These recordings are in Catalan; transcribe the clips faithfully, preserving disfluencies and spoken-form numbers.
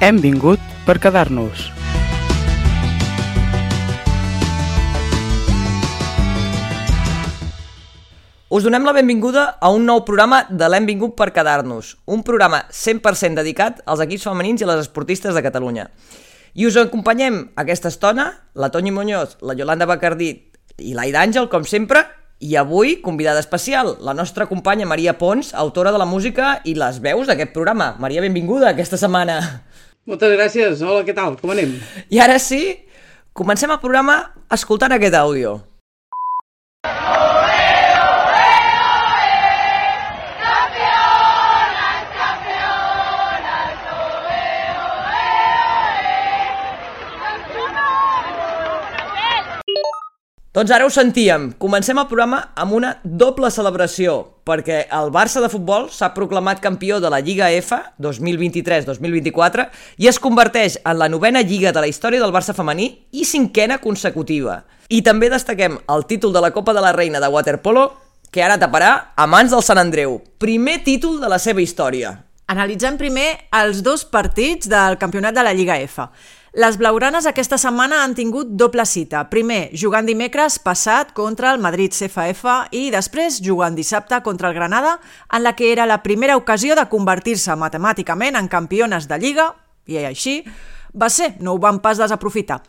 Hem vingut per quedar-nos. Us donem la benvinguda a un nou programa de l'Hem vingut per quedar-nos, un programa cent per cent dedicat als equips femenins i a les esportistes de Catalunya. I us acompanyem aquesta estona, la Toñi Muñoz, la Yolanda Bacardí i l'Aida Àngel, com sempre, i avui, convidada especial, la nostra companya Maria Pons, autora de la música i les veus d'aquest programa. Maria, benvinguda aquesta setmana. Moltes gràcies. Hola, què tal? Com anem? I ara sí, comencem el programa escoltant aquest àudio. Doncs ara ho sentíem. Comencem el programa amb una doble celebració, perquè el Barça de futbol s'ha proclamat campió de la Lliga F dos mil vint-i-tres dos mil vint-i-quatre i es converteix en la novena lliga de la història del Barça femení i cinquena consecutiva. I també destaquem el títol de la Copa de la Reina de waterpolo, que ara taparà a mans del Sant Andreu. Primer títol de la seva història. Analitzem primer els dos partits del campionat de la Lliga F. Les blaugranes aquesta setmana han tingut doble cita. Primer, jugant dimecres passat contra el Madrid C F F i després jugant dissabte contra el Granada, en la que era la primera ocasió de convertir-se matemàticament en campiones de Lliga, i així va ser, no ho van pas desaprofitar.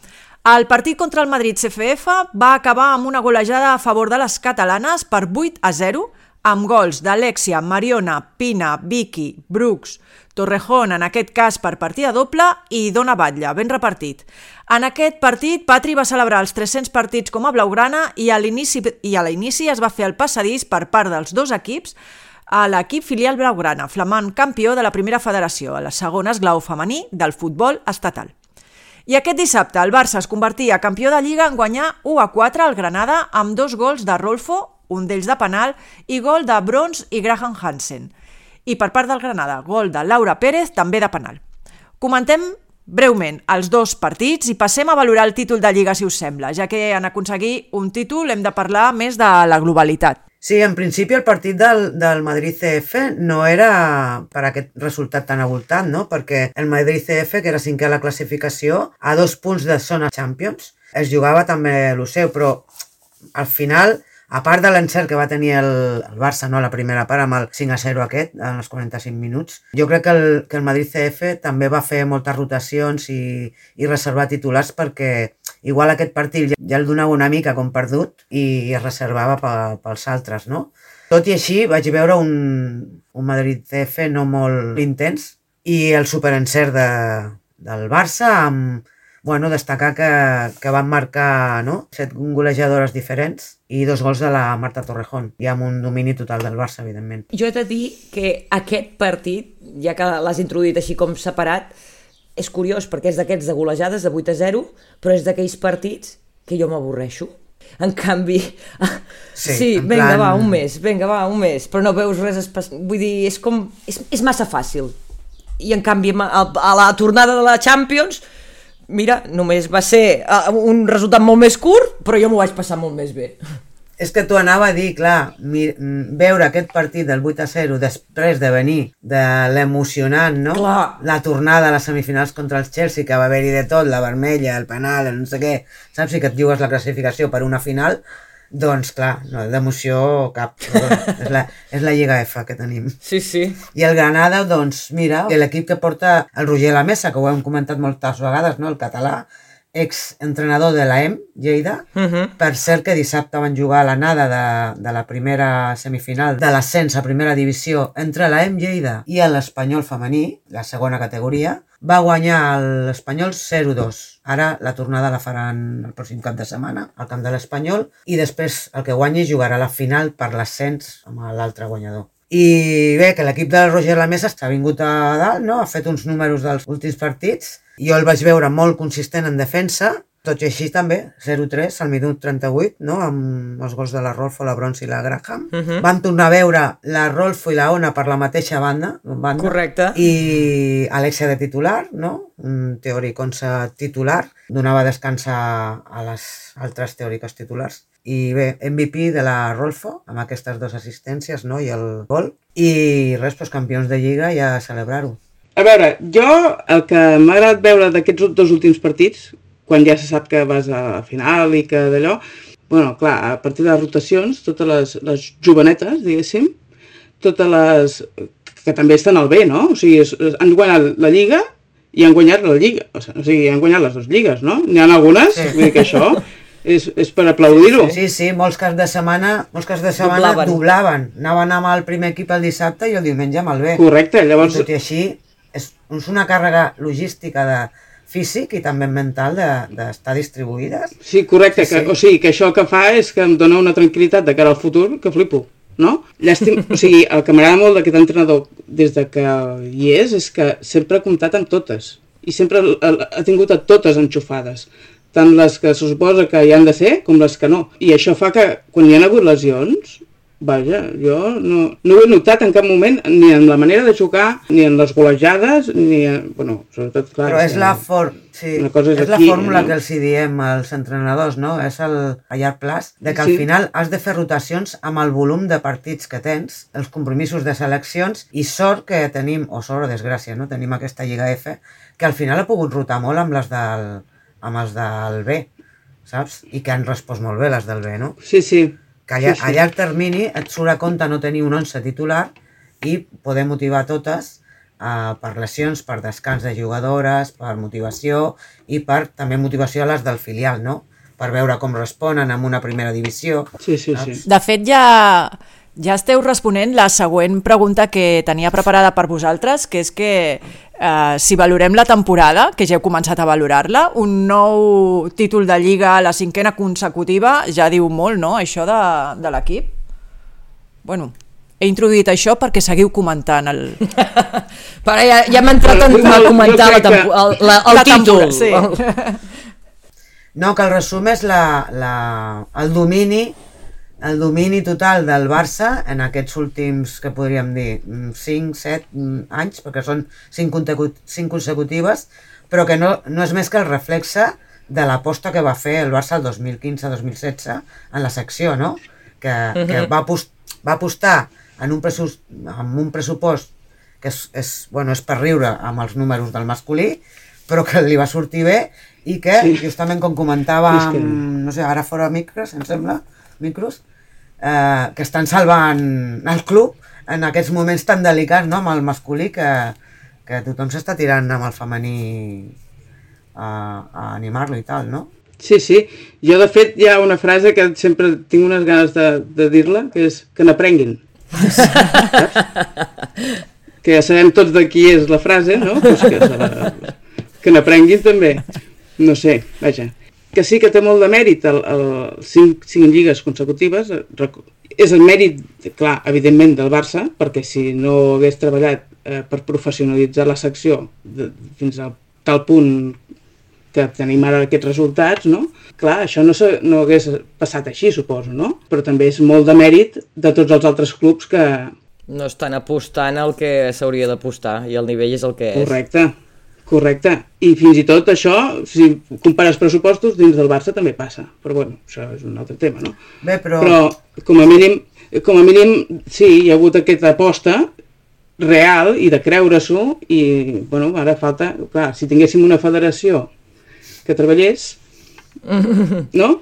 El partit contra el Madrid C F F va acabar amb una golejada a favor de les catalanes per vuit a zero, amb gols d'Alexia, Mariona, Pina, Vicky, Brooks, Torrejón, en aquest cas per partida doble, i Dona Batlle, ben repartit. En aquest partit, Patri va celebrar els tres-cents partits com a blaugrana i a l'inici i a l'inici es va fer el passadís per part dels dos equips a l'equip filial blaugrana, flamant campió de la primera federació, a la segona esglaó femení del futbol estatal. I aquest dissabte el Barça es convertia campió de Lliga en guanyar u a quatre al Granada amb dos gols de Rolfo, un d'ells de penal, i gol de Brons i Graham Hansen. I per part del Granada, gol de Laura Pérez, també de penal. Comentem breument els dos partits i passem a valorar el títol de Lliga, si us sembla, ja que en aconseguir un títol hem de parlar més de la globalitat. Sí, en principi el partit del, del Madrid C F no era per aquest resultat tan avoltat, no? Perquè el Madrid C F, que era cinquè a la classificació, a dos punts de zona Champions, es jugava també el seu, però al final, a part de l'encert que va tenir el, el Barça, no, a la primera part, amb el cinc a zero aquest, en els quaranta-cinc minuts, jo crec que el, que el Madrid C F també va fer moltes rotacions i, i reservar titulars perquè igual aquest partit ja, ja el donava una mica com perdut i es reservava pe, pels altres, no? Tot i així vaig veure un, un Madrid C F no molt intens i el superencert de, del Barça amb, bueno, destacar que, que van marcar, no?, set golejadores diferents i dos gols de la Marta Torrejón, i amb un domini total del Barça, evidentment. Jo he de dir que aquest partit, ja que l'has introduït així com separat, és curiós perquè és d'aquests de golejades de vuit a zero, però és d'aquells partits que jo m'avorreixo. En canvi, sí, sí en vinga, plan... va, un mes, vinga, va, un mes, però no veus res especial. Vull dir, és com... És, és massa fàcil. I en canvi, a, a la tornada de la Champions, mira, només va ser un resultat molt més curt, però jo m'ho vaig passar molt més bé. És que t'ho anava a dir, clar, mi, veure aquest partit del vuit a zero després de venir de l'emocionant, no? Clar. La tornada a les semifinals contra el Chelsea, que va haver-hi de tot, la vermella, el penal, el no sé què, saps? I que et jugues la classificació per una final, doncs clar, no, d'emoció cap. és, la, és la Lliga F que tenim. Sí, sí. I el Granada, doncs mira, l'equip que porta el Roger Lamesa, que ho hem comentat moltes vegades, no? El català, ex-entrenador de l'A E M, Lleida. Uh-huh. Per cert que dissabte van jugar a l'anada de, de la primera semifinal de l'ascens a primera divisió entre l'A E M Lleida i l'Espanyol femení, la segona categoria. Va guanyar l'Espanyol zero dos. Ara la tornada la faran el pròxim cap de setmana al camp de l'Espanyol i després el que guanyi jugarà la final per l'ascens amb l'altre guanyador. I bé, que l'equip del Roger Lamesa s'ha vingut a dalt, no? Ha fet uns números dels últims partits. Jo el vaig veure molt consistent en defensa, tot i així també, zero tres al minut trenta-vuit, no? Amb els gols de la Rolfo, la Brons i la Graham. Uh-huh. Van tornar a veure la Rolfo i la Ona per la mateixa banda, banda. Correcte. I Alexia de titular, no? Un teòric onze titular, donava descans a les altres teòriques titulars. I bé, M V P de la Rolfo, amb aquestes dues assistències, no? I el gol. I res, doncs, campions de Lliga i a celebrar-ho. A veure, jo el que m'ha agradat veure d'aquests dos últims partits, quan ja se sap que vas a la final i que d'allò, bueno, clar, a partir de les rotacions, totes les, les jovenetes, diguéssim, totes les que també estan al B, no? O sigui, es, es, han guanyat la Lliga i han guanyat la Lliga, o sigui, han guanyat les dues lligues, no? N'hi ha algunes, sí. Vull dir que això és, és per aplaudir-ho. Sí, sí, molts caps de setmana, molts caps de setmana doblaven. doblaven. Anaven amb el primer equip el dissabte i el diumenge amb el B. Correcte, llavors... I tot i així, és, és una càrrega logística de físic i també mental d'estar de, distribuïdes. Sí, correcte, sí, que, sí. O sigui, que això que fa és que em dona una tranquil·litat de cara al futur que flipo, no? Llàstim, o sigui, el que m'agrada molt d'aquest entrenador des de que hi és, és que sempre ha comptat amb totes, i sempre ha tingut a totes enxufades, tant les que se suposa que hi han de ser com les que no. I això fa que quan hi ha hagut lesions, vaja, jo no, no ho he notat en cap moment, ni en la manera de jugar, ni en les golejades, ni en, bueno, sobretot, clar... Però és, la, for... sí, és, és la fórmula no? que els hi diem als entrenadors, no? És el, a llarg plaç, de que al sí. final has de fer rotacions amb el volum de partits que tens, els compromisos de seleccions, i sort que tenim, o sort o desgràcia, no? Tenim aquesta Lliga F, que al final ha pogut rotar molt amb les del, amb els del B, saps? I que han respost molt bé les del B, no? Sí, sí. Que a, sí, sí. a llarg termini et surt a compte no tenir un once titular i poder motivar totes uh, per lesions, per descans de jugadores, per motivació i per també motivació a les del filial, no? Per veure com responen en una primera divisió. Sí, sí, sí. De fet, ja, ja esteu responent la següent pregunta que tenia preparada per vosaltres, que és que Uh, si valorem la temporada, que ja heu començat a valorar-la, un nou títol de Lliga a la cinquena consecutiva ja diu molt, no?, això de, de l'equip. Bueno, he introduït això perquè seguiu comentant el... Però ja, ja hem entrat en a comentar la tempo, el, la, el la títol. Sí. No, que el resum és la, la, el domini el domini total del Barça en aquests últims, que podríem dir, cinc set anys, perquè són cinc consecutives, però que no, no és més que el reflexe de l'aposta que va fer el Barça el dos mil quinze dos mil setze en la secció, no? Que, uh-huh. que va, apost, va apostar en un, pressupost, en un pressupost que és, és, bueno, és per riure amb els números del masculí, però que li va sortir bé i que, sí. justament com comentàvem, que... no sé, ara fora micros, em sembla, micros, eh, que estan salvant el club en aquests moments tan delicats, no?, amb el masculí, que, que tothom s'està tirant amb el femení a, a animar-lo i tal, no? Sí, sí. Jo, de fet, hi ha una frase que sempre tinc unes ganes de, de dir-la, que és que n'aprenguin. Saps? Que ja sabem tots de qui és la frase, no? Pues que la... que n'aprenguin també. No sé, vaja. Que sí que té molt de mèrit el, el cinc, cinc lligues consecutives. És el mèrit, clar, evidentment, del Barça, perquè si no hagués treballat eh, per professionalitzar la secció de, fins a tal punt que tenim ara aquests resultats, no? Clar, això no, no hagués passat així, suposo, no? Però també és molt de mèrit de tots els altres clubs que... No estan apostant el que s'hauria d'apostar i el nivell és el que és. Correcte. Correcte, i fins i tot això, si compares pressupostos, dins del Barça també passa, però bueno, això és un altre tema, no? Bé, però... Però com a mínim, com a mínim, sí, hi ha hagut aquesta aposta real i de creure-s'ho, i bueno, ara falta, clar, si tinguéssim una federació que treballés, no?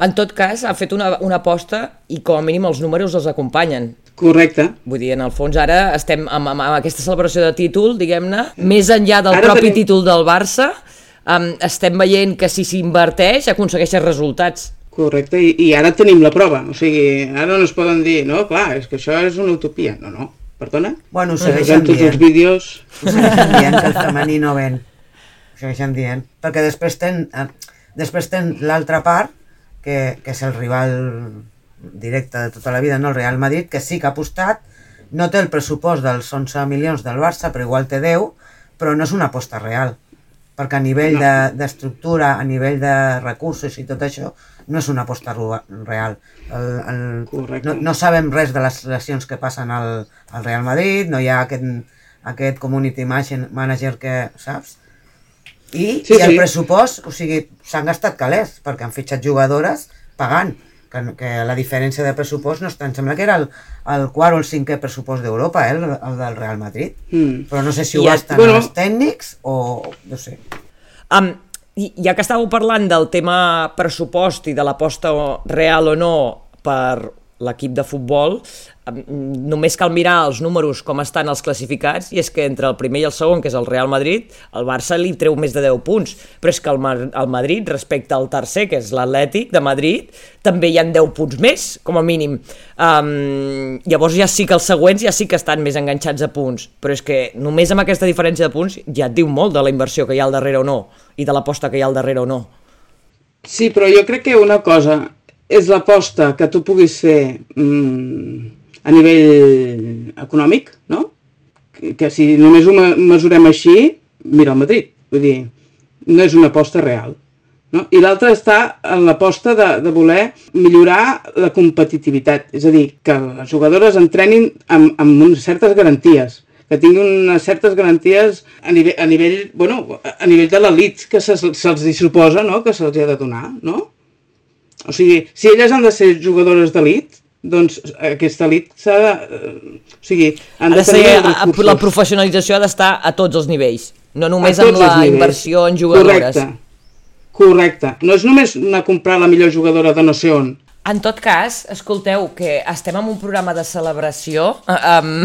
En tot cas, ha fet una, una aposta i com a mínim els números els acompanyen. Correcte. Vull dir, en el fons ara estem amb, amb, amb aquesta celebració de títol, diguem-ne, més enllà del ara propi tenim... títol del Barça, um, estem veient que si s'inverteix aconsegueixen resultats. Correcte, i, i ara tenim la prova, o sigui, ara no es poden dir, no, clar, és que això és una utopia, no, no, perdona? Bueno, ho segueixen tots dient. Els vídeos... Ho segueixen dient que el femení no ven, ho segueixen dient, perquè després ten, eh, després ten l'altra part, que, que és el rival directe de tota la vida, no el Real Madrid, que sí que ha apostat, no té el pressupost dels onze milions del Barça, però igual té deu, però no és una aposta real, perquè a nivell no. d'estructura, de, a nivell de recursos i tot això, no és una aposta real. El, el, no, no sabem res de les relacions que passen al, al Real Madrid, no hi ha aquest, aquest community manager que, saps? I, sí, i el sí. pressupost, o sigui, s'han gastat calés, perquè han fitxat jugadores pagant, que, que la diferència de pressupost no està, em sembla que era el, el quart o el cinquè pressupost d'Europa, eh, el, el del Real Madrid, mm. però no sé si ho gasten bueno. els tècnics o no sé. Um, ja que estàveu parlant del tema pressupost i de l'aposta real o no per l'equip de futbol, només cal mirar els números com estan els classificats, i és que entre el primer i el segon, que és el Real Madrid, el Barça li treu més de deu punts, però és que el, el Madrid, respecte al tercer, que és l'Atlètic de Madrid, també hi han deu punts més, com a mínim. Um, llavors ja sí que els següents ja sí que estan més enganxats a punts, però és que només amb aquesta diferència de punts ja et diu molt de la inversió que hi ha al darrere o no, i de l'aposta que hi ha al darrere o no. Sí, però jo crec que una cosa és l'aposta que tu puguis fer mmm, a nivell econòmic, no? Que, que si només ho mesurem així, mira el Madrid, vull dir, no és una aposta real, no? I l'altra està en l'aposta de, de voler millorar la competitivitat, és a dir, que les jugadores entrenin amb, amb unes certes garanties, que tinguin unes certes garanties a nivell, a nivell, bueno, a nivell de l'elit que se, se'ls suposa, no? Que se'ls ha de donar, no? O sigui, si elles han de ser jugadores d'elit, doncs aquesta elit s'ha de... O sigui, han de tenir els recursos. La professionalització ha d'estar a tots els nivells, no només amb la inversió en jugadores. Correcte, correcte. No és només anar a comprar la millor jugadora de no sé on. En tot cas, escolteu, que estem en un programa de celebració. Um,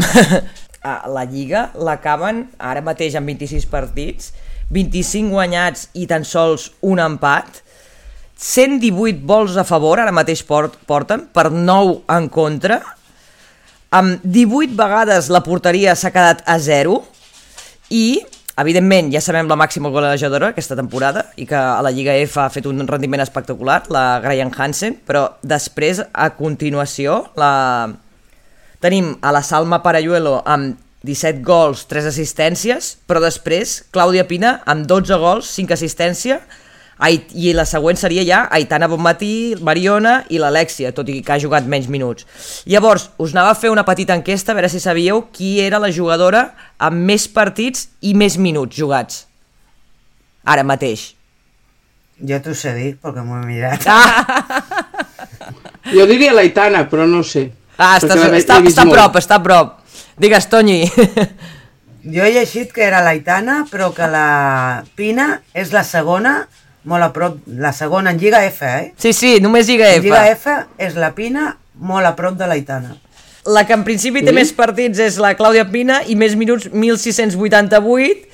la Lliga l'acaben ara mateix amb vint-i-sis partits, vint-i-cinc guanyats i tan sols un empat, cent divuit gols a favor, ara mateix port, porten, per nou en contra, amb divuit vegades la porteria s'ha quedat a zero, i, evidentment, ja sabem la màxima golejadora aquesta temporada, i que a la Lliga F ha fet un rendiment espectacular, la Graham Hansen, però després, a continuació, la... tenim a la Salma Parayuelo amb disset gols, tres assistències, però després, Clàudia Pina amb dotze gols, cinc assistències, i la següent seria ja Aitana Bonmatí, Mariona i l'Alexia, tot i que ha jugat menys minuts. Llavors, us anava a fer una petita enquesta a veure si sabíeu qui era la jugadora amb més partits i més minuts jugats ara mateix. Jo t'ho sé dir, perquè m'ho he mirat. Ah! Jo diria l'Aitana, però no sé. Ah, està, està, està a prop, està a prop. Digues, Tonyi. Jo he llegit que era l'Aitana, però que la Pina és la segona, molt a prop, la segona en Lliga F, eh? Sí, sí, només Lliga F. En Lliga F és la Pina molt a prop de l'Aitana. La que en principi té sí? més partits és la Clàudia Pina i més minuts, mil sis-cents vuitanta-vuit,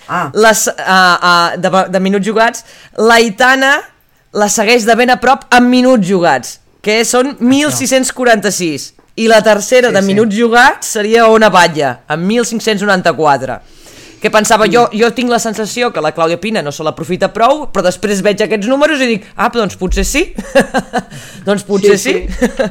ah. les, uh, uh, de, de minuts jugats. L'Aitana la segueix de ben a prop amb minuts jugats, que són mil sis-cents quaranta-sis. I la tercera sí, de minuts sí. jugats seria Ona Batlle, amb mil cinc-cents noranta-quatre. Que pensava, jo, jo tinc la sensació que la Clàudia Pina no se l'aprofita prou, però després veig aquests números i dic, ah, doncs potser sí. doncs potser sí. sí. sí.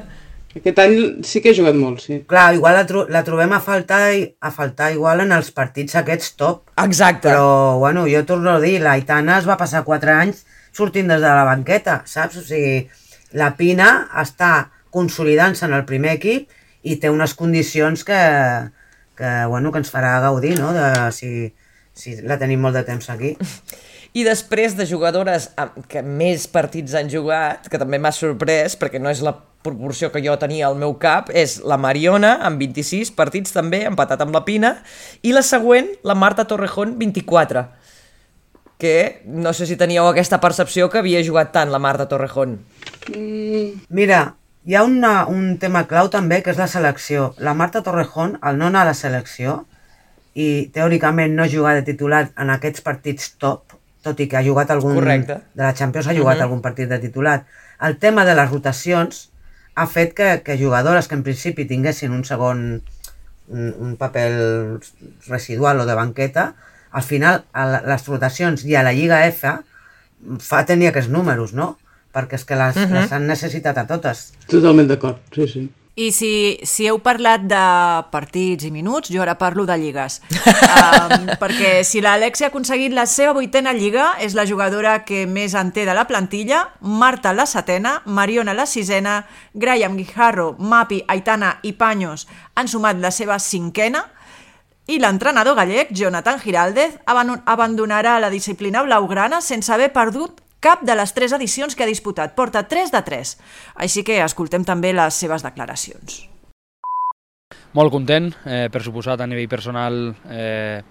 Aquest any sí que he jugat molt, sí. Clar, igual la, tro la trobem a faltar, a faltar igual en els partits aquests top. Exacte. Però, bueno, jo torno a dir, la Aitana es va passar quatre anys sortint des de la banqueta, saps? O sigui, la Pina està consolidant-se en el primer equip i té unes condicions que, que, bueno, que ens farà gaudir, no? De, si, si la tenim molt de temps aquí. I després de jugadores que més partits han jugat, que també m'ha sorprès, perquè no és la proporció que jo tenia al meu cap, és la Mariona, amb vint-i-sis partits també, empatat amb la Pina, i la següent, la Marta Torrejón, vint-i-quatre, que no sé si teníeu aquesta percepció que havia jugat tant la Marta Torrejón. Mm. Mira, hi ha una, un tema clau també, que és la selecció. La Marta Torrejón, al no anar a la selecció, i teòricament no jugar de titular en aquests partits top, tot i que ha jugat algun... Correcte. De la Champions ha jugat uh-huh. algun partit de titular. El tema de les rotacions ha fet que, que jugadores que en principi tinguessin un segon, un, un paper residual o de banqueta, al final a les rotacions i a la Lliga F fa tenir aquests números, no? Perquè és que les, uh-huh. les han necessitat a totes. Totalment d'acord, sí, sí. I si, si heu parlat de partits i minuts, jo ara parlo de lligues. um, perquè si l'Alexia ha aconseguit la seva vuitena lliga, és la jugadora que més en té de la plantilla, Marta la setena, Mariona la sisena, Graham Guijarro, Mapi, Aitana i Paños han sumat la seva cinquena, i l'entrenador gallec, Jonathan Giraldez, abandonarà la disciplina blaugrana sense haver perdut cap de les tres edicions que ha disputat. Porta tres de tres. Així que escoltem també les seves declaracions. Molt content, eh, per suposat a nivell personal, eh,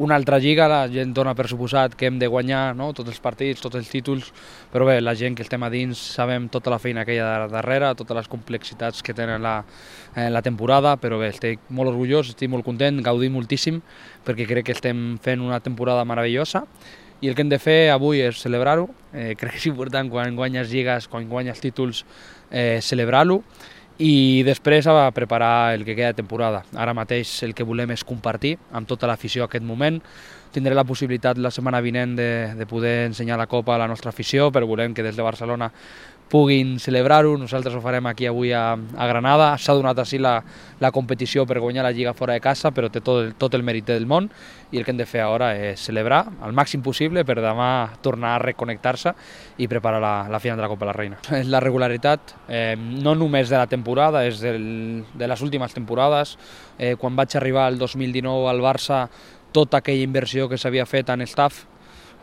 una altra lliga, la gent dona per suposat que hem de guanyar, no? Tots els partits, tots els títols, però bé, la gent que estem a dins sabem tota la feina que hi ha darrere, totes les complexitats que tenen la, eh, la temporada, però bé, estic molt orgullós, estic molt content, gaudim moltíssim, perquè crec que estem fent una temporada meravellosa, i el que hem de fer avui és celebrar-ho, eh, crec que és important quan guanyes lligues, quan guanyes títols, eh, celebrar-lo, i després a preparar el que queda de temporada. Ara mateix el que volem és compartir amb tota l'afició aquest moment. Tindré la possibilitat la setmana vinent de, de poder ensenyar la Copa a la nostra afició, però volem que des de Barcelona puguin celebrar-ho. Nosaltres ho farem aquí avui a, a Granada. S'ha donat així la, la competició per guanyar la Lliga fora de casa, però té tot el, tot el mèrit del món, i el que hem de fer ara és celebrar al màxim possible per demà tornar a reconnectar-se i preparar la, la final de la Copa de la Reina. La regularitat, eh, no només de la temporada, és del, de les últimes temporades. Eh, quan vaig arribar el dos mil dinou al Barça, tota aquella inversió que s'havia fet en staff,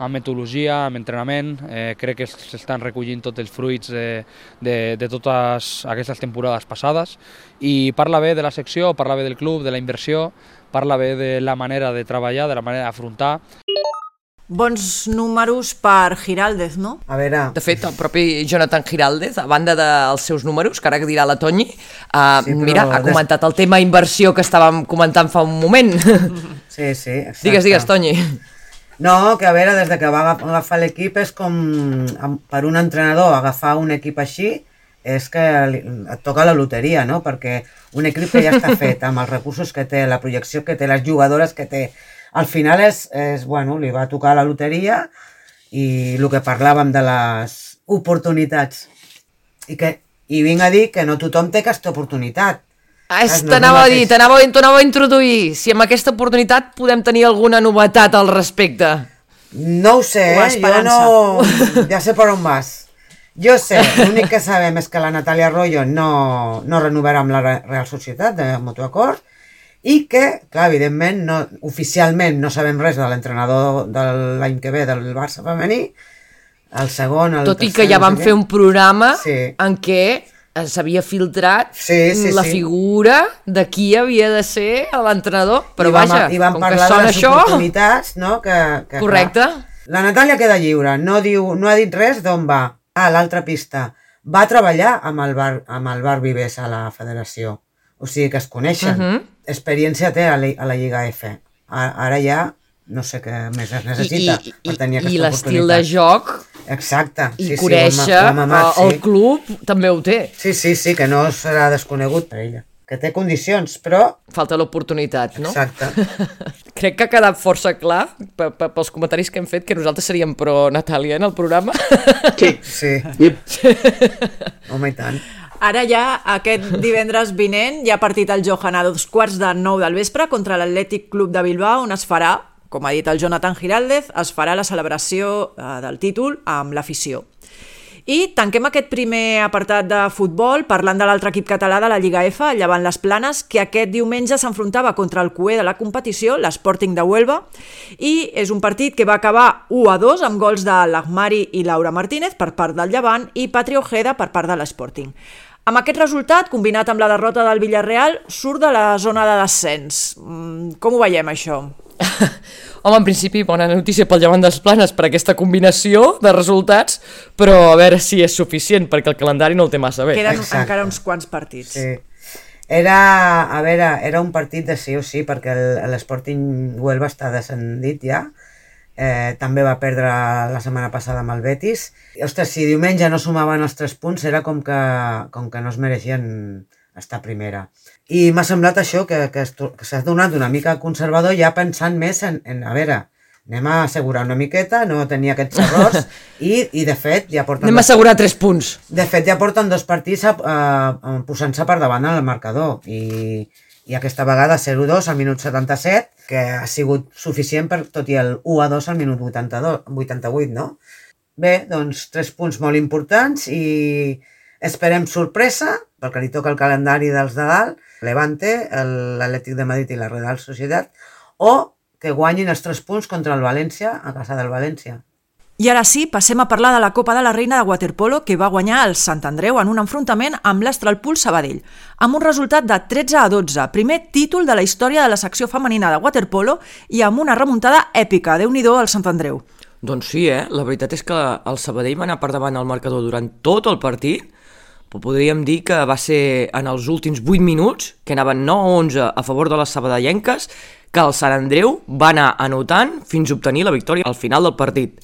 amb metodologia, amb entrenament, eh, crec que s'estan recollint tots els fruits de, de, de totes aquestes temporades passades, i parla bé de la secció, parla bé del club, de la inversió, parla bé de la manera de treballar, de la manera d'afrontar. Bons números per Giraldez, no? A veure... De fet, el propi Jonathan Giraldez, a banda dels seus números, que ara que dirà la Toñi, uh, sí, mira, ha comentat el tema inversió que estàvem comentant fa un moment. Sí, sí, exacte. Digues, digues, Toñi. No, que a veure, des de que va agafar l'equip és com, per un entrenador, agafar un equip així, és que et toca la loteria, no? Perquè un equip que ja està fet, amb els recursos que té, la projecció que té, les jugadores que té, al final és, és bueno, li va tocar la loteria, i el que parlàvem de les oportunitats. I, que, i vinc a dir que no tothom té aquesta oportunitat. Ah, t'anava a dir, t'anava a introduir, si amb aquesta oportunitat podem tenir alguna novetat al respecte. No ho sé, eh? Jo no... Ja sé per on vas. Jo sé, l'únic que sabem és que la Natàlia Arroyo no, no renovarà amb la Real Societat de Mutuacord, i que, clar, evidentment, no, oficialment no sabem res de l'entrenador de l'any que ve del Barça femení, el segon, el Tot tercer... i que ja vam fer un programa sí. en què s'havia filtrat sí, sí, la sí. figura de qui havia de ser l'entrenador, però I vam, vaja, i vam com que parlar sona de les això... oportunitats, no? Que, que, Correcte. Clar, la Natàlia queda lliure, no, diu, no ha dit res d'on va. Ah, l'altra pista. Va treballar amb el, bar, amb el Bar Vives a la federació, o sigui que es coneixen. Uh -huh. Experiència té a la, a la Lliga F. Ara ja no sé què més es necessita I, i, per tenir aquesta i oportunitat. l'estil de joc... Exacte. I sí, conèixer sí, ho hem, ho hem amat, el sí. club també ho té. Sí, sí, sí, que no serà desconegut per ella. Que té condicions, però... Falta l'oportunitat, no? Exacte. Crec que ha quedat força clar pels comentaris que hem fet que nosaltres seríem pro Natàlia en el programa. Sí. Sí. Yep. Home, i tant. Ara ja, aquest divendres vinent, hi ha partit al Johan a dos quarts de nou del vespre contra l'Atlètic Club de Bilbao, on es farà, com ha dit el Jonathan Giraldez, es farà la celebració eh, del títol amb l'afició. I tanquem aquest primer apartat de futbol parlant de l'altre equip català de la Lliga F, el Llevant Les Planes, que aquest diumenge s'enfrontava contra el cuer de la competició, l'Sporting de Huelva, i és un partit que va acabar u a dos amb gols de l'Ahmari i Laura Martínez per part del Llevant i Patri Ojeda per part de l'Sporting. Amb aquest resultat, combinat amb la derrota del Villarreal, surt de la zona de descens. Com ho veiem, això? Home, en principi, bona notícia pel Llevant dels Planes per aquesta combinació de resultats, però a veure si és suficient, perquè el calendari no el té massa bé. Queden Exacte. encara uns quants partits. Sí. Era, a veure, era un partit de sí o sí, perquè l'Sporting Huelva està descendit ja. Eh, també va perdre la setmana passada amb el Betis. I, ostres, si diumenge no sumaven els tres punts, era com que, com que no es mereixien estar a primera. I m'ha semblat això, que, que, que s'ha donat una mica conservador, ja pensant més en, en a veure, anem a assegurar una miqueta, no tenir aquests errors, i, i de fet ja porten... Anem a assegurar tres punts. De fet ja porten dos partits a, a, a, posant-se per davant en el marcador, i, i aquesta vegada zero dos al minut setanta-set, que ha sigut suficient per tot i el u a dos al minut vuitanta-vuit, no? Bé, doncs tres punts molt importants i esperem sorpresa, perquè li toca el calendari dels de dalt, Levante, l'Atlètic de Madrid i la Real Societat, o que guanyin els tres punts contra el València a casa del València. I ara sí, passem a parlar de la Copa de la Reina de waterpolo que va guanyar el Sant Andreu en un enfrontament amb l'Astralpool Sabadell, amb un resultat de tretze a dotze, primer títol de la història de la secció femenina de waterpolo i amb una remuntada èpica. Déu-n'hi-do al Sant Andreu. Doncs sí, eh? La veritat és que el Sabadell va anar per davant al marcador durant tot el partit, però podríem dir que va ser en els últims vuit minuts, que anaven nou a onze a favor de les sabadellenques, que el Sant Andreu va anar anotant fins a obtenir la victòria al final del partit.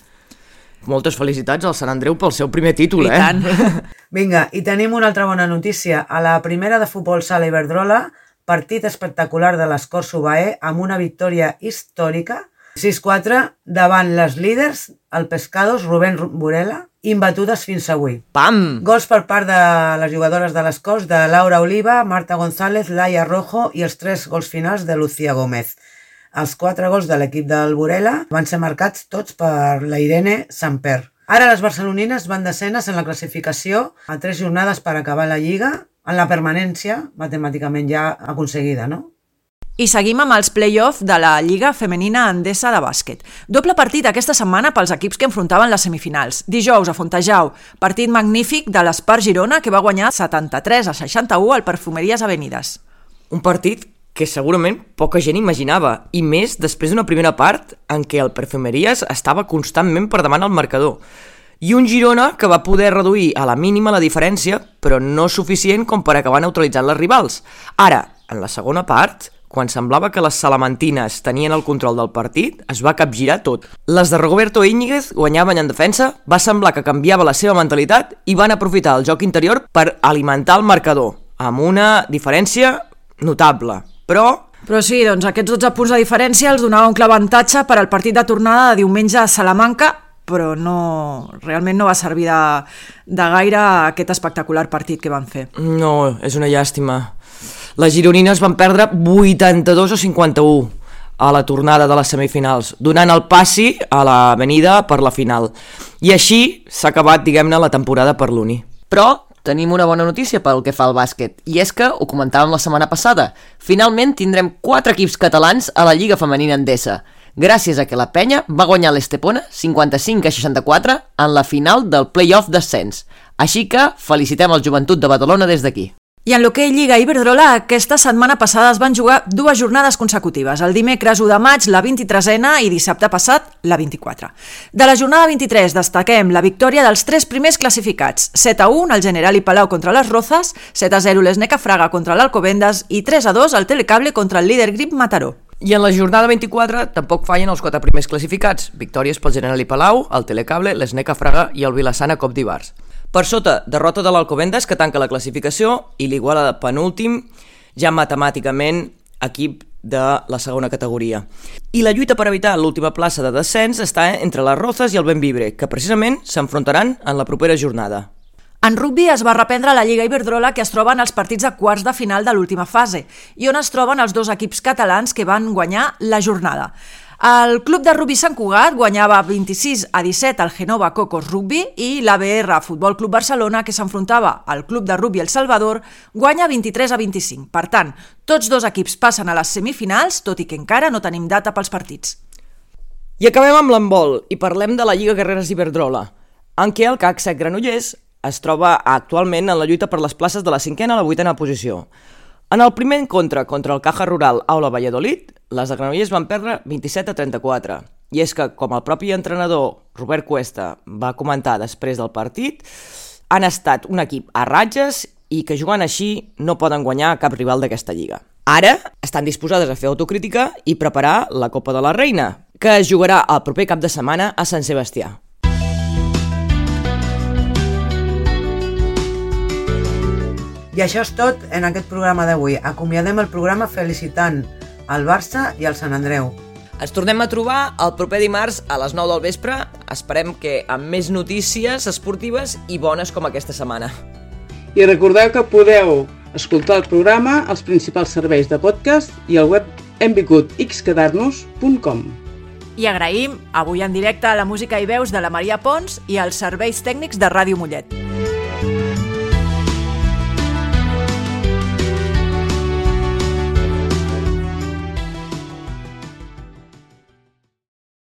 Moltes felicitats al Sant Andreu pel seu primer títol, eh? I tant. Vinga, i tenim una altra bona notícia. A la primera de futbol sala Iberdrola, partit espectacular de l'Escort Subaé amb una victòria històrica, sis quatre davant les líders, el Pescados, Rubén Burela, imbatudes fins avui. Pam! Gols per part de les jugadores de l'Escort, de Laura Oliva, Marta González, Laia Rojo i els tres gols finals de Lucía Gómez. Els quatre gols de l'equip del Burela van ser marcats tots per la Irene Samper. Ara les barcelonines van descenes en la classificació a tres jornades per acabar la Lliga, en la permanència matemàticament ja aconseguida, no? I seguim amb els play-off de la Lliga Femenina Endesa de bàsquet. Doble partit aquesta setmana pels equips que enfrontaven les semifinals. Dijous a Fontejau, partit magnífic de l'Espar Girona que va guanyar setanta-tres a seixanta-u al Perfumeries Avenides. Un partit que segurament poca gent imaginava, i més després d'una primera part en què el Perfumeries estava constantment per davant al marcador. I un Girona que va poder reduir a la mínima la diferència, però no suficient com per acabar neutralitzant les rivals. Ara, en la segona part, quan semblava que les salamantines tenien el control del partit, es va capgirar tot. Les de Roberto Íñiguez guanyaven en defensa, va semblar que canviava la seva mentalitat i van aprofitar el joc interior per alimentar el marcador, amb una diferència notable. Però... Però sí, doncs aquests dotze punts de diferència els donava un clar avantatge per al partit de tornada de diumenge a Salamanca, però no, realment no va servir de, de gaire aquest espectacular partit que van fer. No, és una llàstima. Les gironines van perdre vuitanta-dos a cinquanta-u a la tornada de les semifinals, donant el passi a l'avenida per la final. I així s'ha acabat, diguem-ne, la temporada per l'Uni. Però tenim una bona notícia pel que fa al bàsquet, i és que, ho comentàvem la setmana passada, finalment tindrem quatre equips catalans a la Lliga Femenina Endesa, gràcies a que la Penya va guanyar l'Estepona cinquanta-cinc a seixanta-quatre en la final del play-off d'ascens. Així que felicitem el Joventut de Badalona des d'aquí. I en l'hoquei Lliga Iberdrola, aquesta setmana passada es van jugar dues jornades consecutives, el dimecres u de maig la vint-i-tresena i dissabte passat la vint-i-quatre. De la jornada vint-i-tres destaquem la victòria dels tres primers classificats, set a u el Generali Palau contra les Rozas, set a zero l'Esneca Fraga contra l'Alcobendas i tres a dos el Telecable contra el líder Grip Mataró. I en la jornada vint-i-quatre tampoc fallen els quatre primers classificats, victòries pel Generali Palau, el Telecable, l'Esneca Fraga i el Vilassana Cop d'Ibars. Per sota, derrota de l'Alcobendas, que tanca la classificació, i l'Iguala de penúltim, ja matemàticament equip de la segona categoria. I la lluita per evitar l'última plaça de descens està entre les Rozas i el Bembibre, que precisament s'enfrontaran en la propera jornada. En rugbi es va reprendre la Lliga Iberdrola, que es troba en els partits de quarts de final de l'última fase, i on es troben els dos equips catalans que van guanyar la jornada. El club de rugbi Sant Cugat guanyava vint-i-sis a disset al Genova Cocos Rugby i l'A B R Futbol Club Barcelona, que s'enfrontava al club de rugbi El Salvador, guanya vint-i-tres a vint-i-cinc. Per tant, tots dos equips passen a les semifinals, tot i que encara no tenim data pels partits. I acabem amb l'handbol i parlem de la Lliga Guerreres Iberdrola, en què el C A C Sec Granollers es troba actualment en la lluita per les places de la cinquena a la vuitena posició. En el primer encontre contra el Caja Rural Aula Valladolid, les de Granollers van perdre vint-i-set a trenta-quatre. I és que, com el propi entrenador Robert Cuesta va comentar després del partit, han estat un equip a ratges i que jugant així no poden guanyar cap rival d'aquesta lliga. Ara estan disposades a fer autocrítica i preparar la Copa de la Reina, que es jugarà el proper cap de setmana a Sant Sebastià. I això és tot en aquest programa d'avui. Acomiadem el programa felicitant el Barça i el Sant Andreu. Ens tornem a trobar el proper dimarts a les nou del vespre. Esperem que amb més notícies esportives i bones com aquesta setmana. I recordeu que podeu escoltar el programa als principals serveis de podcast i al web hem vingut x quedar nos punt com. I agraïm avui en directe a la música i veus de la Maria Pons i als serveis tècnics de Ràdio Mollet.